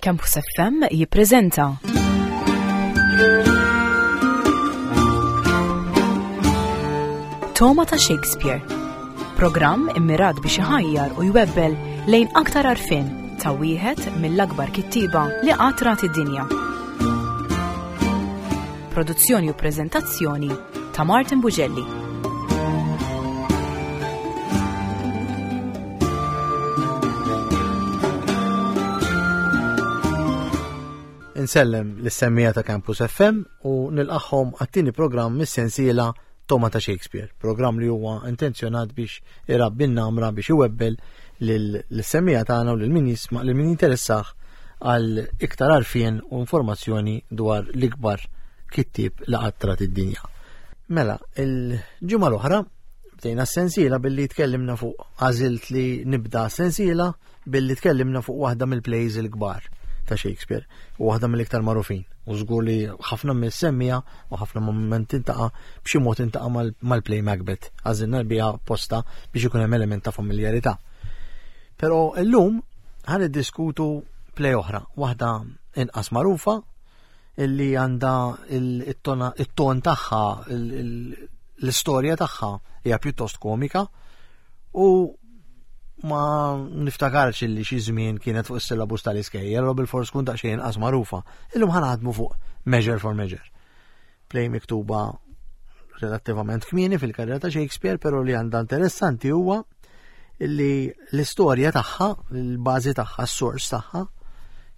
Campus FM jippreżenta Toma ta' Shakespeare. Programm immirat biex iħajjar u jwebbel lejn aktar arfin ta' wieħed mill-akbar kittieba li qatt rat id-dinja. Produzzjoni u preżentazzjoni ta' Martin Bugelli. Insellem l-semmija ta' Campus FM u nilqaħħom għat-tieni programm mis-sensiela Toma ta' Shakespeare, programm li huwa intenzjonat biex irabbi n-namra biex iwebbel l-semmija tagħna u lil min jisma' lil min jinteressah għal iktar għarfien u informazzjoni dwar l-ikbar kittieb li qatt rat id-dinja. Mela, il-ġimgħa l-oħra Bdejna s-sensiela billi tkellimna fuq għażilt li nibda sensiela billi tkellimna fuq waħda mill-plays il-kbar ta' Shakespeare u waħda mill-iktar magħrufin. U żgur li ħafna mill-semmija u ħafna moment intaqa' b'xi mod intaqa' mal-play Macbeth. Għażilna biha posta biex ikun hemm element ta' familjarità. Però illum ħan iddiskutu play oħra, waħda inqas magħrufa illi għandha it-ton tagħha, l-istorja tagħha hija pjuttost komika u ma niftakarx illi xi żmien kienet fuq is-syllabus tal-iskejjel u bil-fors tkun daqsxejn inqas magħrufa. Illum ħanaħdmu fuq Measure for Measure. Play miktuba relattivament kmieni fil-karriera ta' Shakespeare, però li għandha interessanti huwa li l-istorja tagħha, l-bażi tagħha, s-sors tagħha,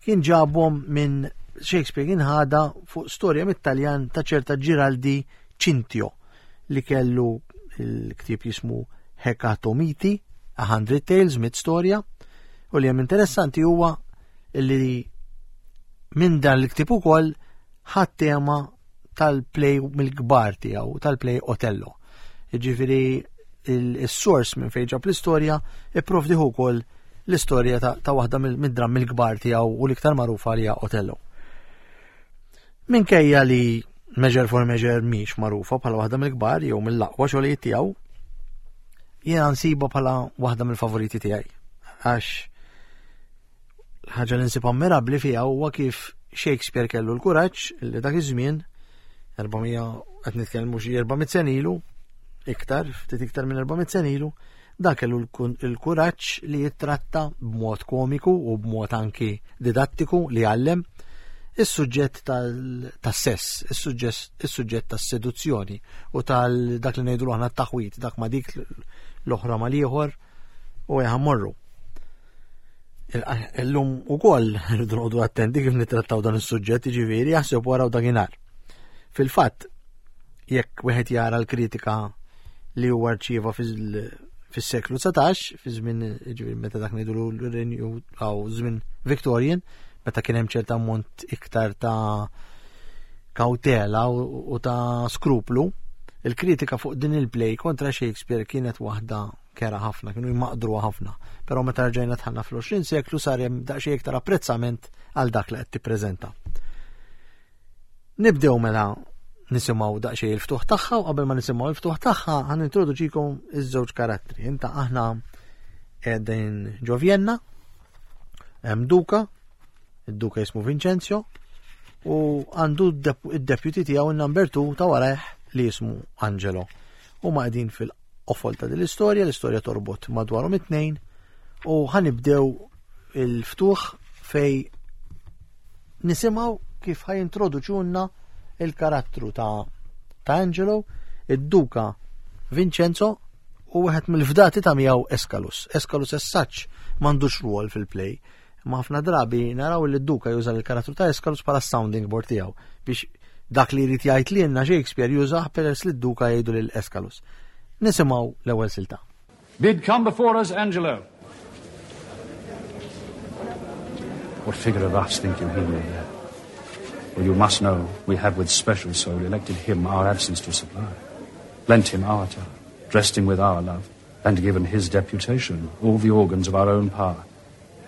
kien ġabhom minn Shakespeare kien ħada fuq storja mit-Taljan ta' ċerta Giraldi Cintio li kellu l-ktieb jismu Hecatomiti, A Hundred Tales, mit storja, u li hemm interessanti huwa li minn dan l-ktieb ukoll ħadd tema tal-play mill-kbar tiegħu, tal-play Otello. Jiġifieri il-sors minn fejn ġab l-istorja ipprovdiħu wkoll l-istorja ta' waħda mid-drammi l-kbar tiegħu u l-iktar magħrufa li hija Otello. Minkejja li Measure for Measure mhix magħrufa bħala waħda mill-kbar jew mill-aqwa xogħlijiet tiegħu, jiena nsiba bħala waħda mill-favoriti tiegħi. Għax ħaġa li nsib ammirabbli fiha huwa kif Shakespeare kellu l-kuraġġ li dak iż-żmien 400 qed nitkellmu xi 400 sen ilu, iktar, ftit iktar minn 400 sen ilu, dak kellu l-kuraġġ li jittratta b'mod komiku u b'mod anki didattiku li għallem is-suġġett tas-sess, is-suġġett tas-seduzzjoni u tal-dak li ngħidu aħna t-taħwit, dak ma dik l-oħra mal-ieħor u morru. Illum ukoll rridu noqogħdu attenti kif nittrattaw dan is-suġġett, jiġifieri jaħseb wara u dakinhar. Fil-fatt, jekk wieħed jara l-kritika li huwa rċieva fis-seklu 19, fi żmien jiġifieri meta dak ngħidu l-renju għaw żmien Victorian, meta kien hemm ċerta ammont iktar ta' kawtela u ta' skruplu, il-kritika fuq din il-play kontra Shakespeare kienet waħda kera ħafna, kienu jmaqdruha ħafna. Però meta rġajna tħanna fl-20 seklu sar hemm daqsxejn iktar apprezzament għal dak li qed tippreżenta. Nibdew mela nisimgħu daqsxejn il-ftuħ tagħha u qabel ma nisimgħu il-ftuħ tagħha ħan introduċikom iż-żewġ karattri. Inta aħna qegħdin ġo Vienna, hemm duka, id-duka jismu Vincenzo, u għandu id-deputy tiegħu in-number 2 ta' warajh li jismu Angelo. Huma qegħdin fil qofol ta' din l-istorja, l-istorja torbot madwarhom it-tnejn u ħanibdew il-ftuħ fej nisimgħu kif ħajintroduċunna il-karattru ta' ta' Angelo, id-duka Vincenzo u wieħed mill-fdati ta' miegħu Escalus. Escalus as such m'għandux rwol fil-play. Imma ħafna drabi naraw li d-duka juża l-karattru ta' Escalus bħala sounding board tiegħu biex dak li jrid jgħid lilna Shakespeare jużah peress li d-duka jgħidu lil Escalus. Nisimgħu l-ewwel silta. Bid come before us, Angelo. What figure of us think you he will bear? Well, you must know we have with special soul elected him our absence to supply, lent him our talent, dressed him with our love, and given his deputation all the organs of our own power.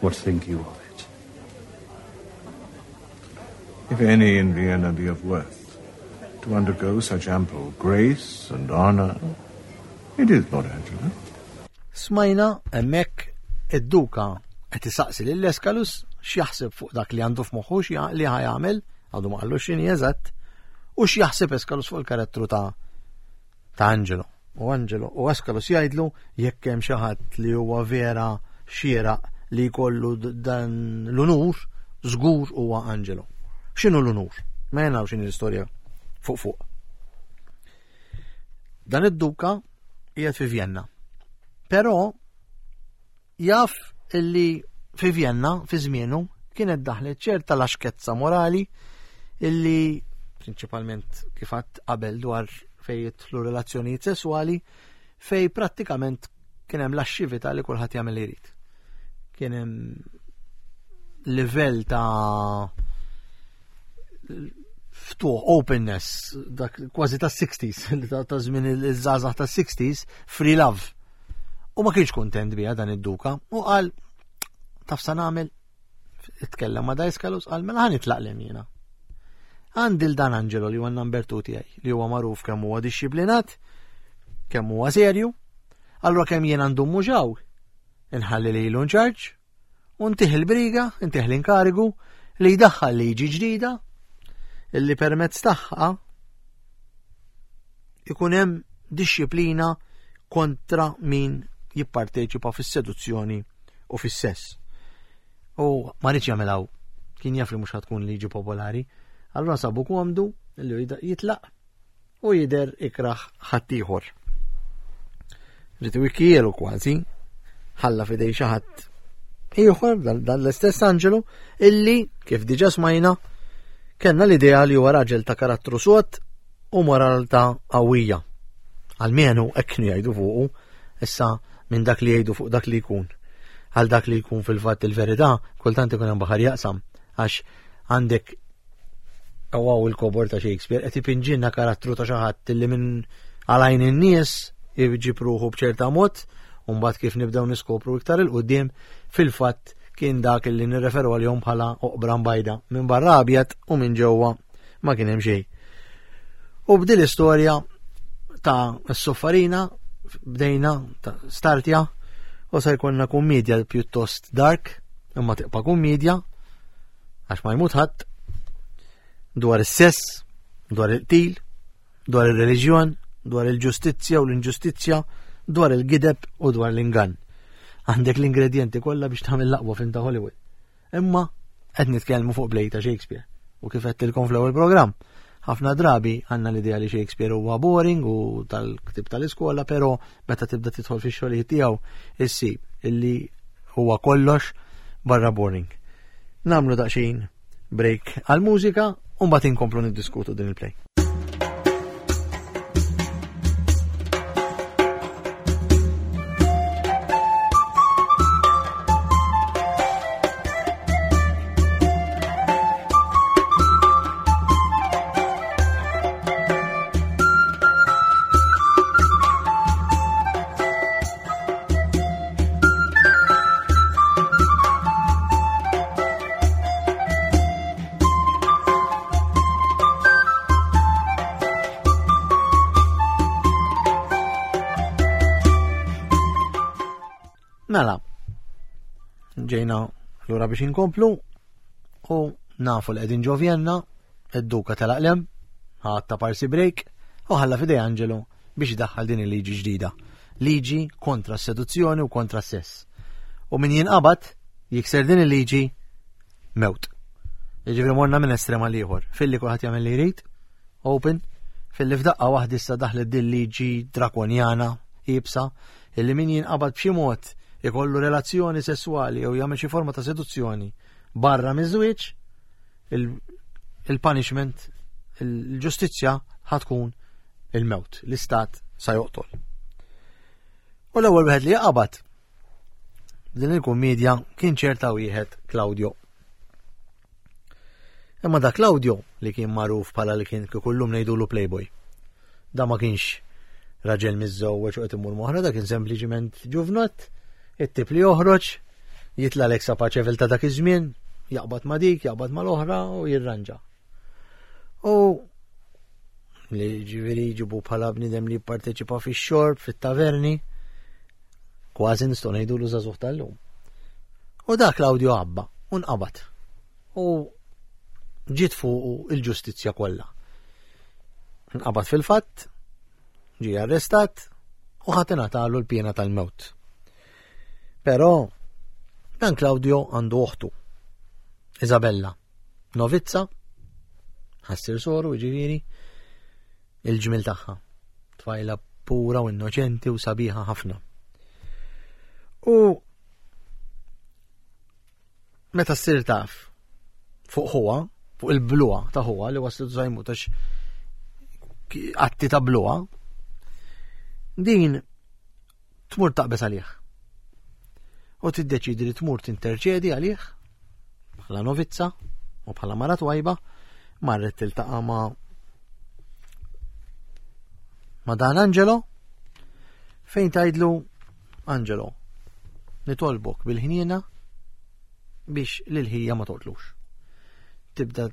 What think you of it? If any in Vienna be of worth to undergo such ample grace and honor, it is Lord Angelo. Smajna hemmhekk id-duka qed isaqsi lil Escalus x'jaħseb fuq dak li għandu f'moħħu li ħajamel, għadu ma qallu x'inhi eżatt, u x'jaħseb Eskalus fuq il-karattru ta' ta' Angelo. U Angelo u Eskalus jgħidlu jekk hemm xi ħadd li huwa vera xieraq li jkollu dan l-unur, żgur huwa Angelo. X'inhu l-unur? Ma jenaw x'inhi l-istorja fuq fuq. Dan id-duka qiegħed fi Vienna. Però jaf illi fi Vienna fi żmienu kienet daħlet ċerta laxkezza morali illi prinċipalment kif għadt qabel dwar fej jidħlu relazzjonijiet sesswali fej prattikament kien hemm laxxività li kulħadd jagħmel li jrid. Kien hemm livell ta' ftuħ, openness, dak kważi ta' 60s, ta' żmien iż-żgħażagħ ta' 60s, free love. U ma kienx kuntent biha dan id-duka u qal taf sa nagħmel itkellem ma' Daiskalus qal mela ħa nitlaq lem jiena. Għandi l dan Angelo li huwa number 2 tiegħi li huwa magħruf kemm huwa dixxiplinat, kemm huwa serju, allura kemm jien għandu muġaw, inħalli lilu nċarġ, u ntih il-briga, ntih l-inkarigu li jdaħħal liġi ġdida illi permezz tagħha ikun hemm dixxiplina kontra min jipparteċipa fis-seduzzjoni u fis-sess. U ma rridx jagħmilhaw, kien jaf li mhux tkun liġi popolari, allura sabu komdu li jitlaq u jidher ikrah ħaddieħor. Rid iwikkielu kważi, ħalla fidej xi ħadd ieħor dan l-istess Angelo illi kif diġà smajna kellna l-idea li huwa raġel ta' karattru sod u moralità qawwija. Almenu hekk kienu jgħidu fuqu, issa minn dak li jgħidu fuq dak li jkun. Għal dak li jkun fil-fatt il-verità, kultant ikun hemm baħar jaqsam għax għandek Għaw il-kobor ta' Shakespeare qed ipinġilna karattru ta' xi ħadd li minn għalajn in-nies iġib ruħu b'ċerta mod, u mbagħad kif nibdew niskopru iktar il qudiem fil-fatt kien dak li nirreferu għalihom bħala oqbra mbajda minn barra abjad u minn ġewwa ma kien hemm xejn. U b'din l-istorja ta' s-soffarina bdejna ta' startja u se jkollna kummedja pjuttost dark imma tibqa' kummedja għax ma jmut ħadd dwar is-sess, dwar il-qtil, dwar ir-reliġjon, dwar il-ġustizzja u l-inġustizzja, dwar il-gideb u dwar l-ingann. Għandek l-ingredienti kollha biex tagħmel l-aqwa film ta' Hollywood. Imma qed nitkellmu fuq play ta' Shakespeare u kif qedtilkom fl-ewwel programm. Ħafna drabi għandna l-idea li Shakespeare huwa boring u tal-ktib tal-iskola, però meta tibda tidħol fix-xogħlijiet tiegħu issib illi huwa kollox barra boring. Namlu daqsxejn break għal-mużika u mbagħad inkomplu niddiskutu din il-play. Mela, ġejna lura biex inkomplu u nafu li qegħdin ġo Vienna, id-duka telaq lem, ħadd ta' parsi break u ħalla fidej Angelo biex idaħħal din il-liġi ġdida. Liġi kontra s-seduzzjoni u kontra s-sess. U min jinqabad jikser din il-liġi mewt. Jiġifieri morna minn estrem għal ieħor. Filli kulħadd jagħmel li jrid, open, filli f'daqqa waħda issa daħlet din liġi drakonjana iebsa illi min jinqabad b'xi mod ikollu relazzjoni sesswali jew jagħmel xi forma ta' seduzzjoni barra miż-żwieġ, il-punishment, il-ġustizzja ħatkun il-mewt, l-istat sa joqtol. U l-ewwel wieħed li jaqabad din il-kummedja kien ċerta wieħed Claudio. Imma da Claudio li kien magħruf bħala li kien kullum ngħidulu Playboy. Da ma kienx raġel miżżewweġ u qed imur moħra, da kien sempliċiment ġuvnott, it-tip li joħroġ, jitla l-eksa paċevil ta' dak iż-żmien, jaqbad ma' dik, jaqbad ma' l-oħra u jirranġa. U li ġifieri jġibu bħala bniedem li jipparteċipa fix-xorb, fit-taverni, kważi nistgħu ngħidu l żagħżugħ tal-lum. U dak Claudio Abba. U nqabad. U ġiet fuqu il-ġustizzja kollha. Nqabad fil-fatt, ġie arrestat u ħadd ingħatalu l-piena tal-mewt. Però dan Claudio għandu oħtu, Isabella, novizza, ħassir soru, ġifieri, il-ġmil tagħha. Tfajla pura u innoċenti u sabiħa ħafna. U meta ssir taf fuq ħuha, fuq il-bluha ta' ħuha li waslet żajmu tax atti ta' bluha, din tmur taqbeż għalih. U tiddeċidi li tmur tinterċedi għalih bħala novizza u bħala mara twajba marret tiltaqa' ma' ma' dan Angelo fejn tgħidlu Angelo nitolbok bil-ħniena biex lil ħija ma toqtlux. Tibda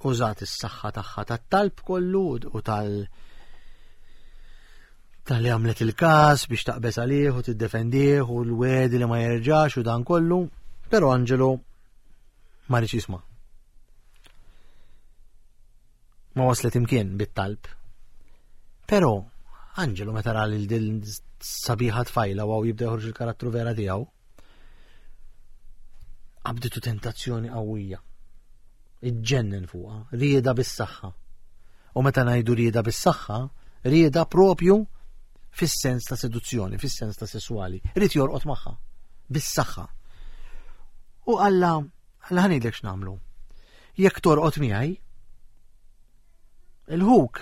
użat is-saħħa tagħha tat-talb kollu u tal tal-li għamlet il-każ biex taqbeż għalih u tiddefendih u l-wedi li ma jerġax u dan kollu, però Angelo ma rridx jisma'. Ma waslet imkien bit-talb. Però Angelo meta ra lil din sabiħa tfajla u jibda joħroġ il-karattru vera tiegħu, qabditu tentazzjoni qawwija. Iġġennen fuqha, rieda bis-saħħa. U meta ngħidu rieda bis-saħħa, rieda propju fis-sens ta' seduzzjoni, fis-sens ta' sessuali. Ried jorqod magħha bis-saħħa. U Alla, Alla ħanidlek x'nagħmlu. Jekk torqod miegħi, il-ħuk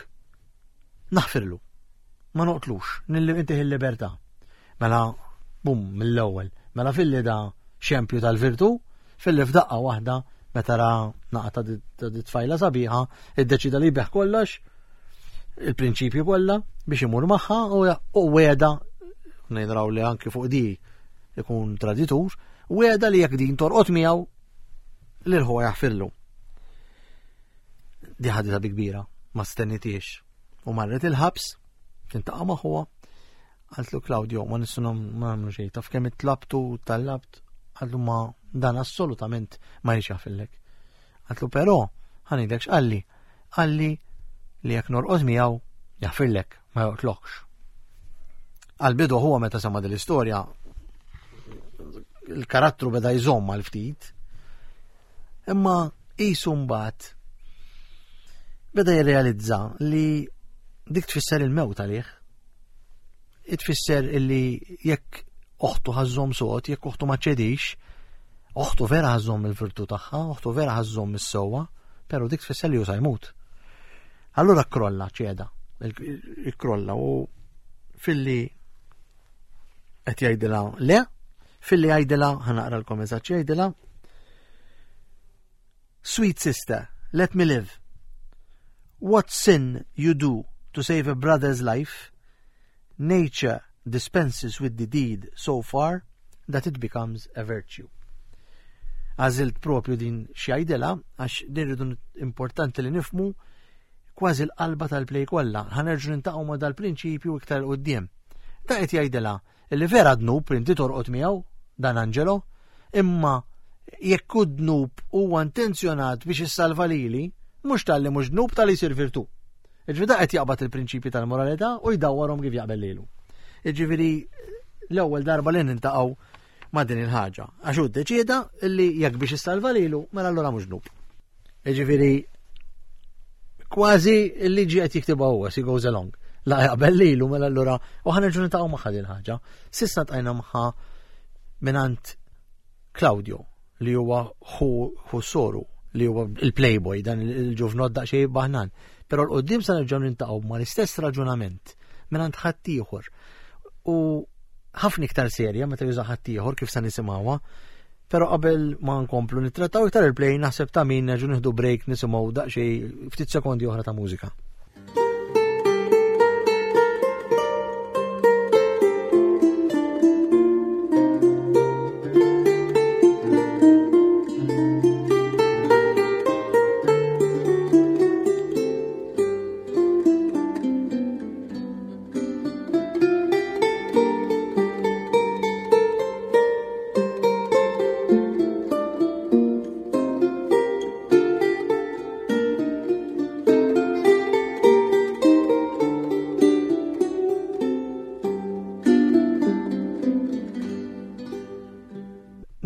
naħfirlu. Ma noqtlux, nintih il-libertà. Mela, bum, mill-ewwel. Mela filli da xempju tal-virtu, filli f'daqqa waħda meta ra naqa ta' di tfajla sabiħa, iddeċida li jbeħ kollox, il-prinċipju kollha biex imur magħha u weda nejdraw li anki fuq di ikun traditur, weda li jekk din torqod miegħu lil ħuha jaħfirlu. Di ħadita bi kbira, ma stennitiex. U marret il-ħabs, tintaqa' ma' ħuha, Qaltlu Claudio, ma nistgħu nagħmlu xejn, taf kemm itlabtu tallabt, qaltlu ma dan assolutament ma jridx jafillek. Qaltlu però ħanidlek x'qalli, qalli li jekk norqod miegħu jaħfirlek, ma joqtlokx. Għal-bidu huwa meta sema din l-istorja il-karattru beda jżomm għal ftit, imma qisu mbagħad beda jirrealizza li dik tfisser il-mewt għalih. Tfisser illi jekk oħtu ħażżomm sod, jekk oħtu ma ċedix, oħtu vera ħażżomm il-virtu tagħha, oħtu vera ħażżomm is-sewwa, però dik tfisser li hu sa jmut. Allura krolla ċeda, il-krolla u filli qed jgħidilha le, filli jgħidilha ħanaqralkom eżatt jgħidilha Sweet sister, let me live. What sin you do to save a brother's life, nature dispenses with the deed so far that it becomes a virtue. Għażilt propju din xjajdela, għax din rridu importanti li nifmu kważi l-qalba tal-play kollha. Ħanerġu nintaqgħu ma' dal-prinċipju iktar quddiem. Da qed jgħidilha Illi vera dnub inti torqod miegħu dan Angelo, imma jekk hu dnub huwa intenzjonat biex issalva lili, mhux talli mhux dnub talli jsir virtù. Jiġifieri da qed jaqbad il-prinċipji tal-moralità u jdawwarhom kif jaqbel lilu. Jiġifieri l-ewwel darba li nintaqgħu ma' din il-ħaġa. Għax hu ddeċieda li jekk biex issalva lilu, mela allura mhux dnub. Jiġifieri kważi l-liġi qed jiktibha huwa as he goes along. La jaqbel lilu mela allura u ħanerġu nitaqgħu magħha din ħaġa. Sissa tqajna magħha mingħand Claudio li huwa ħu soru li huwa il-playboy dan il-ġuvnot daqsxejn baħnan. Però l-qoddim sa nerġgħu nintaqgħu mal-istess raġunament mingħand ħaddieħor. U ħafna iktar serja meta juża ħaddieħor kif sa nisimgħuha Pero qabel ma nkomplu nittrattaw iktar il-play naħseb ta' min nerġu nieħdu break nisimgħu daqsxejn ftit sekondi oħra ta' mużika.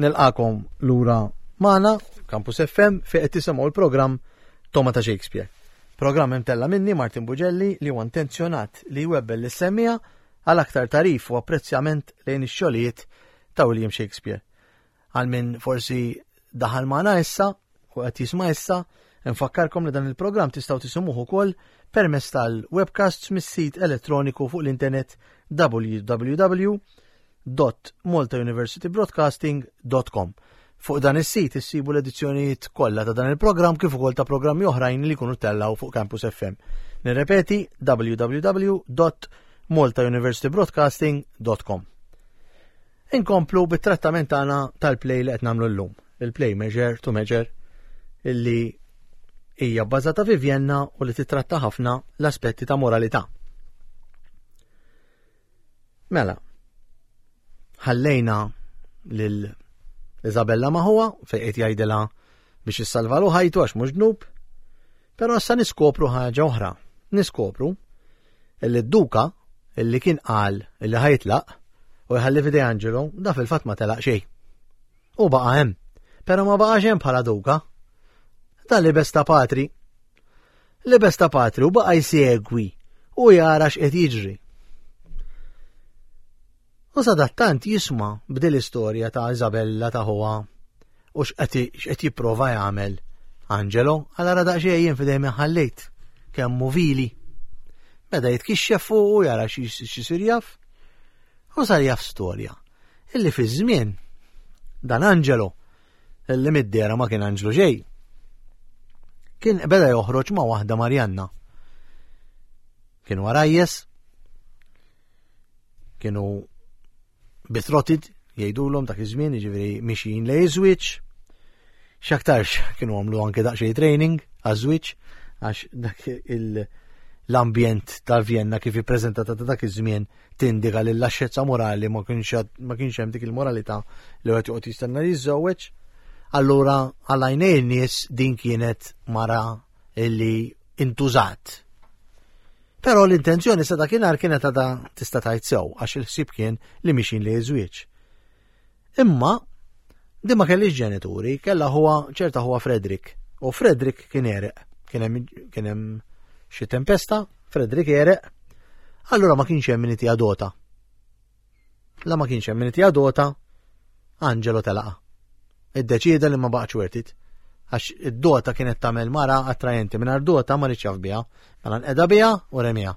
Nilqakom lura magħna Campus FM fi qed tisimgħu l-programm Toma ta' Shakespeare. Programm imtella minni Martin Bugelli li huwa intenzjonat li jwebbel lis-semmija għal aktar tarif u apprezzjament lejn ix-xogħlijiet ta' William Shakespeare. Għal min forsi daħal magħna issa u qed jisma' issa, nfakkarkom li dan il-programm tistgħu tisimgħuh ukoll permezz tal-webcasts mis-sit elettroniku fuq l-internet www.maltauniversitybroadcasting.com. Fuq dan is-sit issibu l-edizzjonijiet kollha ta' dan il-programm kif ukoll ta' programmi oħrajn li jkunu tellgħu fuq Campus FM. Nirrepeti www.maltauniversitybroadcasting.com. Inkomplu bit-trattament tagħna tal-play li qed nagħmlu llum, il-play Measure to Measure illi hija bbażata fi Vienna u li titratta ħafna l-aspetti ta' moralità. Mela, ħallejna lil Isabella maħuha fejn qed jgħidilha biex issalvalu ħajtu għax mhux dnub, però issa niskopru ħaġa oħra. Niskopru illi d-duka illi kien qal illi ħajtlaq u jħalli f'idej Angelo, da fil-fatt ma telaq xejn. U baqa' hemm. Però ma baqax hemm bħala duka. Da libes ta' patri. Libes ta' patri u baqa' jsegwi u jara x'qed jiġri. U sadattant jisma' b'dil istorja ta' Isabella ta' ħuha u x'qed jipprova jagħmel Angelo, għal ara daqsxejn jien f'idej min ħallejt, kemm hu vili. Beda jitkixxef fuq u jara x'isir jaf. U sar jaf storja illi fi żmien dan Angelo illi mid-dera ma kien anġlu xejn. Kien beda joħroġ ma' waħda Marjanna. Kienu għarajjes, Kienu betrotted jgħidulhom dak iż-żmien, jiġifieri mixjin lej iż-żwieġ. X'aktarx kienu għamlu anke daqsxejn training għaż-żwieġ għax dak l-ambjent ta' Vienna kif ippreżentata ta' dak iż-żmien tindika li l-laxxezza morali ma kienx hemm dik il-moralità li wieħed joqgħod jistenna li jiżżewweġ. Allura għal għajnejn in-nies din kienet mara illi intużat. Però l-intenzjoni sa dakinhar kienet għadha tista' tgħid sew għax il-ħsieb kien li mixin li żwieġ. Imma din ma kellix ġenituri, kellha huwa ċerta huwa Frederick. U Frederick kien ereq. Kien hemm xi tempesta, Frederick ereq, allura ma kienx hemm min dota. La ma kienx hemm min itiha dota, Angelo telaqa. Iddeċieda li ma baqgħetx worth it. Għax id-dota kienet tagħmel mara attrajenti mingħajr dota ma rridx jaf biha, mela nqeda biha u remiha.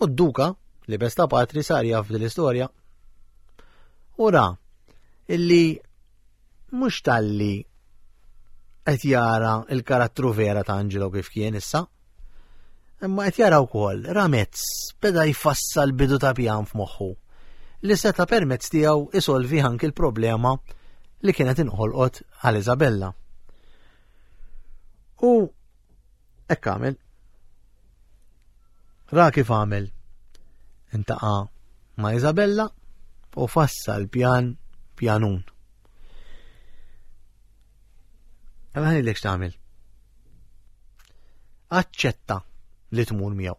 U d-duka li besta patri sar jaf din l-istorja. U ra illi mhux talli qed jara il-karattru vera ta' Angelo kif kien issa, Imma qed jara wkoll Ramezz beda jfassal bidu ta' pjan f'moħħu li seta' permezz tiegħu isolvi anki l-problema li kienet inħolqot għal Isabella. U hekk għamel. Ra kif għamel. Intaqa' ma' Isabella u fassal pjan pjanun. Għala ħanilek x'tagħmel. Aċċetta li tmur miegħu.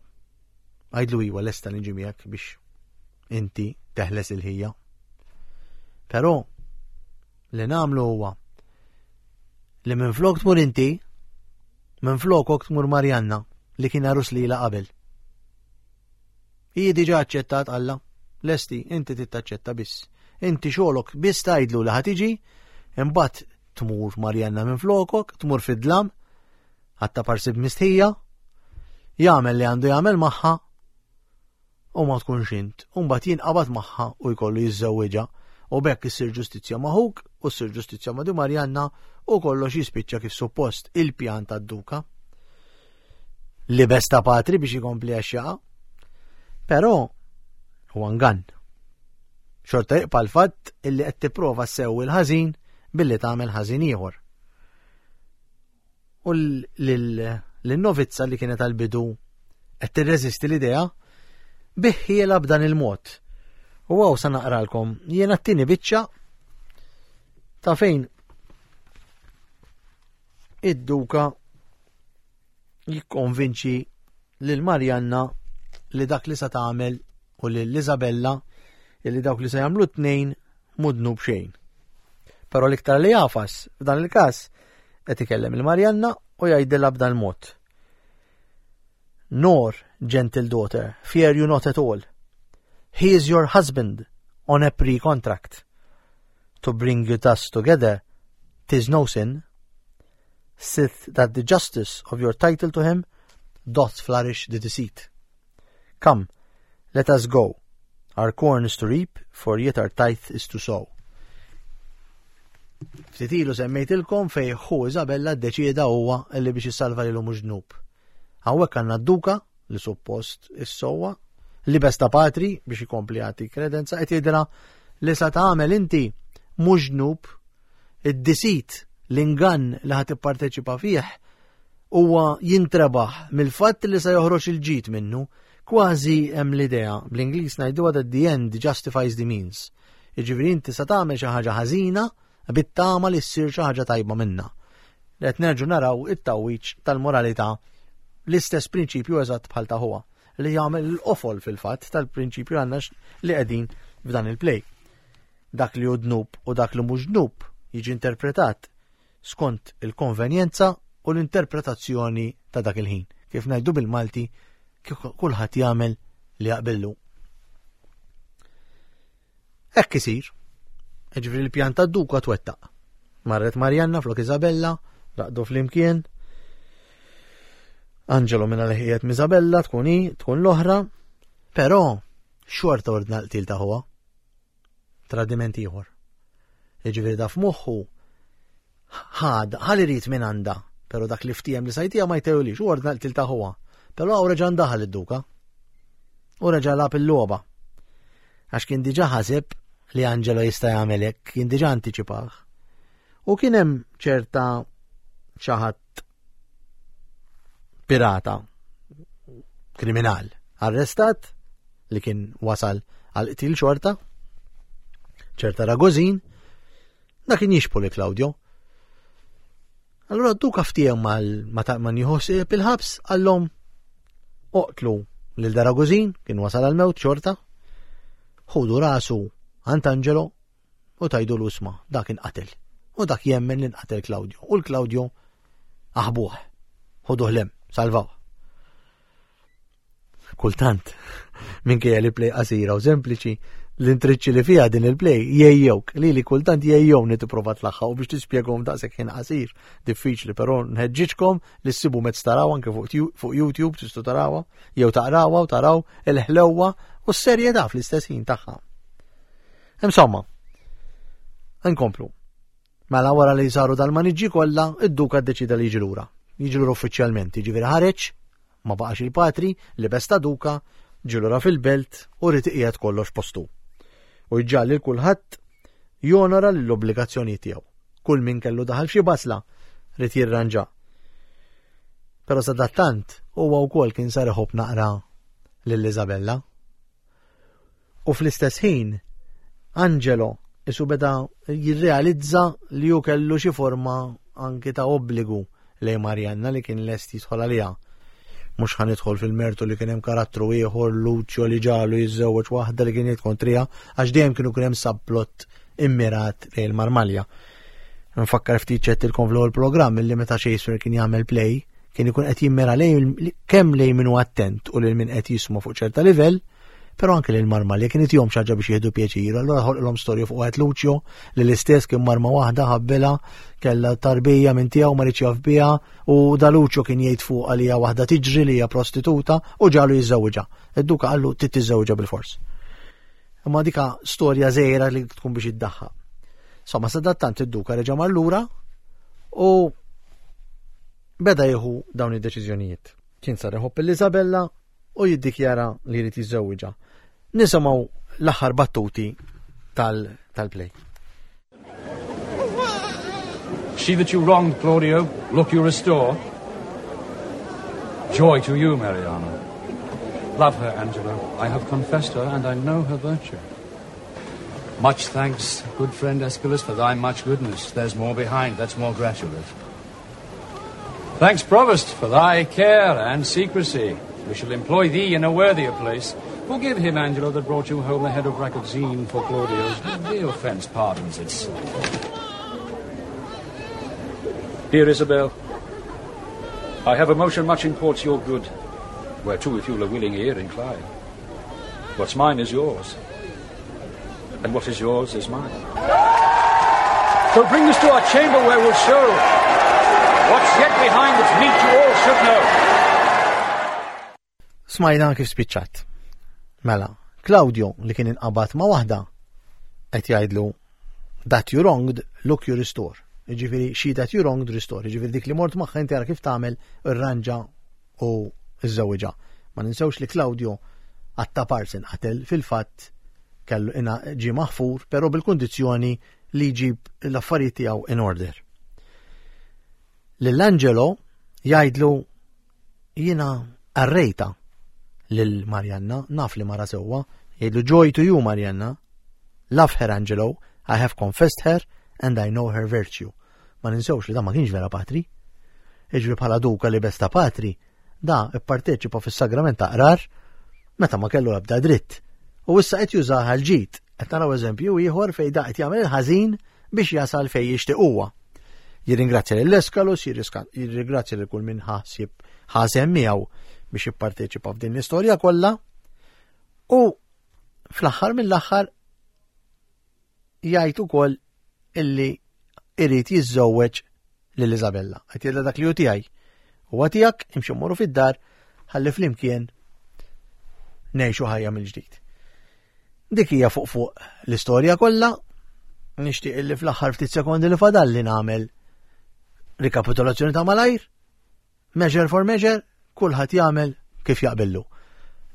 Għajdlu iwa lesta li nġi miegħek biex inti teħles il-ħija. Però li nagħmlu huwa li minn flok tmur inti, minn flokok tmur Marjanna li kien għarus lila qabel. Hi diġà aċċettat Alla. Lesti, inti trid taċċetta biss. Inti xogħlok biss tgħidlu li ħa tiġi, imbagħad tmur Marjanna minn flokok, tmur fid-dlam, ħatta parsi b'mistħija, jagħmel li għandu jagħmel magħha u ma tkunx int. U mbagħad jinqabad magħha u jkollu jiżżewwiġha u bekk issir ġustizzja ma' ħuk u ssir ġustizzja ma' di Marjanna u kollox jispiċċa kif suppost il-pjan tad-duka. Libes ta' patri biex ikompli għax jaqa'. Però huwa ngann. Xorta jibqa' l-fatt illi qed tipprova ssewwi l-ħażin billi tagħmel ħażin ieħor. U lin-novizza li kienet għal-bidu qed tirreżisti l-idea biħħiela b'dan il-mod. U għaw sa naqralkom jiena t-tieni biċċa ta' fejn id-duka jikkonvinċi lil Marjanna li dak li sa tagħmel u lil Isabella li dawk li se jagħmlu tnejn mhu dnub xejn. Però l-iktar li jafas f'dan il-każ qed ikellem il-Marjanna u jgħidilha b'dan mod. Nor, gentle daughter, fear you not at all. He is your husband on a pre-contract. To bring you thus together, tis no sin, sith that the justice of your title to him doth flourish the deceit. Come, let us go. Our corn is to reap, for yet our tithe is to sow. Ftit ilu semmejtilkom fej ħu Isabella ddeċieda huwa li biex jissalva lilu mhux dnub. Hawnhekk għandna d-duka li suppost is-sowa li besta patri biex ikompli jagħti kredenza qed jgħidilha li sa tagħmel inti mhux dnub id-disit l-ingann li ħad tipparteċipa fih huwa jintrebaħ mill-fatt li se joħroġ il-ġid minnu, kważi hemm l-idea, bl-Ingliż ngħiduha that the end justifies the means. Jiġifieri inti sa tagħmel xi ħaġa ħażina bit-tama li ssir xi ħaġa tajba minnha. Qed nerġu naraw it-tawwiċ tal-moralità l-istess prinċipju eżatt bħal ta' huwa li jagħmel l-qofol fil-fatt tal-prinċipju għandna li qegħdin f'dan il-play. Dak li hu dnub u dak li mhux dnub jiġi interpretat skont il-konvenjenza u l-interpretazzjoni ta' dak il-ħin. Kif ngħidu bil-Malti, kulħadd jagħmel li jaqbillu. Hekk isir. Ġifieri l-pjan tad-duka twettaq. Marret Marjanna flok Isabella, raqdu flimkien. Angelo minna li ħijet Isabella tkun hi, tkun l-oħra, però xorta ordna l-qtil ta' ħuha. Tradiment ieħor. Jiġifieri da f'moħħu ħad, ħal irid minn għandha, però dak li ftiem li sajtija ma jtewlix, u ordna l-qtil ta' ħuha. Però hawn reġa' ndaħal id-duka. U reġa' lab il-logħba. Għax kien diġà ħaseb li Angelo jista' jagħmel hekk, kien diġà antiċipah. U kien hemm ċerta xi ħadd pirata kriminal arrestat li kien wasal għal qtil xorta ċerta Ragozin da kien jixbu li Claudio. Allura duka ftiehem mal ma nieħu il-ħabs għallhom oqtlu lil Daragozin kien wasal għal mewt xorta ħudu rasu għand Angelo u tajdu l-usma dak inqatel. U dak jemmen li nqatel Claudio. U l-Claudio aħbuh. Ħuduh lem, salvaw. Kultant, minkejja li play qasira u sempliċi, l-intriċċi li fiha din il-play jejjewk, li li kultant jejjewni tipprova tlaħħa u biex tispjegahom daqshekk ħin qasir, diffiċli, però nħeġġiġkom li ssibu mezz taraw anke fuq YouTube tistgħu tarawha jew taqrawha u taraw il-ħlewwa u s-serjetà fl-istess ħin tagħha. Insomma, nkomplu. Mela wara li saru dal-maniġġi kollha, id-duka ddeċida li jiġi lura. Jiġi lura uffiċjalment, jiġifieri ħareġ, ma baqax il-patri, li besta duka, ġie lura fil-belt u rid iqiegħed kollox postu. U jġalli lil kulħadd jonora l-obbligazzjonijiet tiegħu. Kull min kellu daħal f'xi basla rid jirranġa. Però sadattant huwa wkoll kien sar iħobb naqra lil Isabella. U fl-istess ħin, Angelo isu beda jirrealizza li hu kellu xi forma anki ta' obbligu lejn Marianna li kien lest jidħol għaliha. Mhux ħa nidħol fil-mertu li kien hemm karattru ieħor Lucio li ġalu jiżżewweġ waħda li kien jgħid kontriha għax dejjem kienu kien hemm subplot immirat lejn il-Marmalja. Nfakkar ftit ċettilkom fl-ewwel programm illi meta Shakespeare kien jagħmel play kien ikun qed jimmira lejn kemm lejn min hu attent u lil min qed jisma' fuq ċerta livell, però anke lil Marmalja kien itihom xi ħaġa biex jieħdu pjaċir, allura ħolqilhom storja fuq wieħed Lucio li l-istess kien marma waħda ħabbilha kellha tarbija minn tiegħu ma riedx jaf biha u da Lucio kien jgħid fuqha li hija waħda tiġri li hija prostituta u ġalu jiżżewġha. Id-duka qallu trid tiżżewġha bil-fors. Imma dika storja żgħira li tkun biex iddaħħa. Somma sadattant id-duka reġa' mar lura u beda jieħu dawn id-deċiżjonijiet. Kien sar iħobb l-Isabella u jiddikjara li jrid jiżżewwiġha. Nisimgħu l-aħħar battuti tal-play. She that you wronged, Claudio, look you restore. Joy to you, Mariana. Love her, Angelo. I have confessed her, and I know her virtue. Much thanks, good friend Escalus, for thy much goodness. There's more behind, that's more gratulate. Thanks, Provost, for thy care and secrecy. We shall employ thee in a worthier place. Forgive him, Angelo, that brought you home the head of Ragozine for Claudio. The offence pardons itself. Dear Isabel, I have a motion much imports your good, whereto if you'll a willing ear incline. What's mine is yours, and what is yours is mine. So bring this to our chamber where we'll show what's yet behind that's meet you all should know. Smajna kif spiċċat. Mela, Claudio li kien inqabad ma' waħda qed jgħidlu that you wronged, look you restore. Jiġifieri she that you wronged restore. Jiġifieri dik li mort magħha inti ara kif tagħmel irranġa u żżewwiġha. Ma ninsewx li Claudio għatta parsin qatel fil-fatt kellu ina ġie maħfur, però bil-kundizzjoni li jġib l-affarijiet tiegħu in order. Lil Angelo jgħidlu jiena arrejta lil Marianna, naf li mara sewwa, jgħidlu joy to you Marianna, love her Angelo, I have confessed her and I know her virtue. Ma ninsewx li da ma kienx vera patri. Iġri bħala duka li besta patri, da ipparteċipa fis-sagrament ta' qrar meta ma kellu ebda dritt. U issa qed jużaha l-ġid. Qed naraw eżempju ieħor fejn da qed jagħmel il-ħażin biex jasal fejn jixtieq huwa. Jirringrazzja lil Eskalus, jirringrazzja lil kull min ħasib ħasem miegħu biex jipparteċipa f'din l-istorja kollha. U fl-aħħar mill-aħħar jgħid ukoll illi irid jiżżewweġ lil Isabella. Qed jgħidla dak li hu tiegħi. Huwa tiegħek imxi mmorru fid-dar ħalli flimkien ngħixu ħajja mill-ġdid. Dik hija fuq fuq l-istorja kollha. Nixtieq illi fl-aħħar ftit sekondi li fadalli nagħmel rikapitolazzjoni ta' malajr, measure for measure, kulħadd jagħmel kif jaqbillu.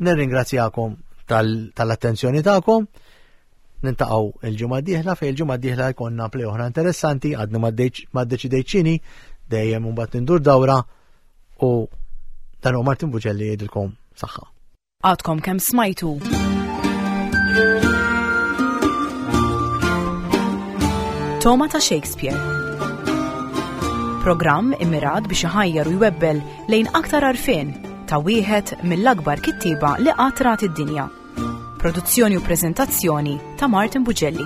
Nirringrazzjakom tal-attenzjoni tagħkom. Nintaqgħu il-ġimgħa d-dieħla fejn il-ġimgħa d-dieħla jkollna play oħra interessanti, għadni ma ddeċidejt x'inhi, dejjem imbagħad nindur dawra u dan hu Martin Buġelli jgħidilkom saħħa. Għadkom kemm smajtu. Toma ta' Shakespeare. Programm immirat biex iħajjar u jwebbel lejn aktar arfin ta' wieħed mill-akbar kittieba li qatt rat id-dinja. Produzzjoni u preżentazzjoni ta' Martin Bugelli.